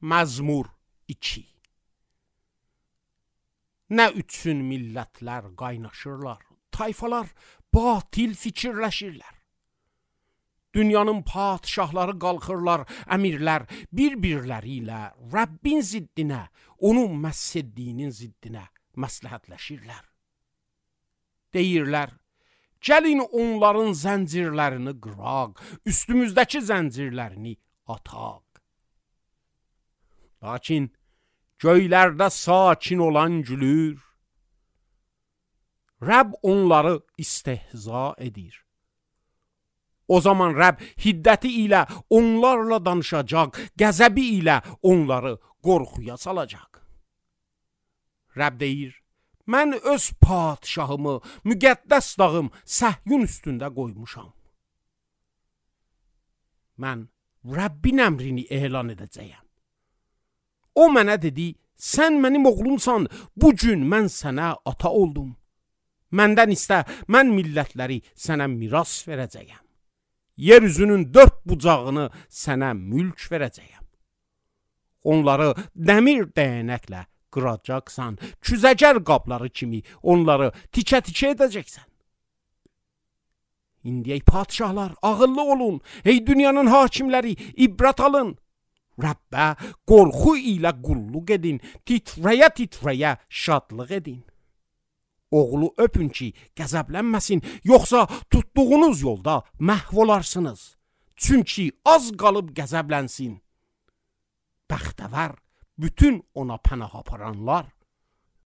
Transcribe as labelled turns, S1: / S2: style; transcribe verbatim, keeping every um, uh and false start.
S1: Məzmur iki. Nə üçün millətlər qaynaşırlar, tayfalar batil fikirləşirlər. Dünyanın padişahları qalxırlar, əmirlər bir-birləri ilə Rəbbin ziddinə, onun məhsəddiyinin ziddinə məsləhətləşirlər. Deyirlər, gəlin onların zəncirlərini qıraq, üstümüzdəki zəncirlərini ataq. Lakin göylərdə sakin olan gülür, Rəbb onları istehza edir. O zaman Rəbb hiddəti ilə onlarla danışacaq, qəzəbi ilə onları qorxuya salacaq. Rəbb deyir, mən öz padişahımı, müqəddəs dağım Səhyun üstündə qoymuşam. Mən Rəbbin əmrini elan edəcəyəm. O mənə dedi, sən mənim oğlumsan, bu gün mən sənə ata oldum. Məndən istə, mən millətləri sənə miras verəcəyəm. Yer üzünün dörd bucağını sənə mülk verəcəyəm. Onları dəmir dəyənəklə qıracaqsan, küzəcər qabları kimi onları tikə-tikə edəcəksən. İndi ey padişahlar, ağıllı olun, ey dünyanın hakimləri, ibrət alın. Rəbbə qorxu ilə qulluq edin, titrəyə-titrəyə şadlıq edin. Oğlu öpün ki, qəzəblənməsin, yoxsa tutduğunuz yolda məhv olarsınız. Çünki az qalıb qəzəblənsin. Bəxtəvər bütün ona pənah aparanlar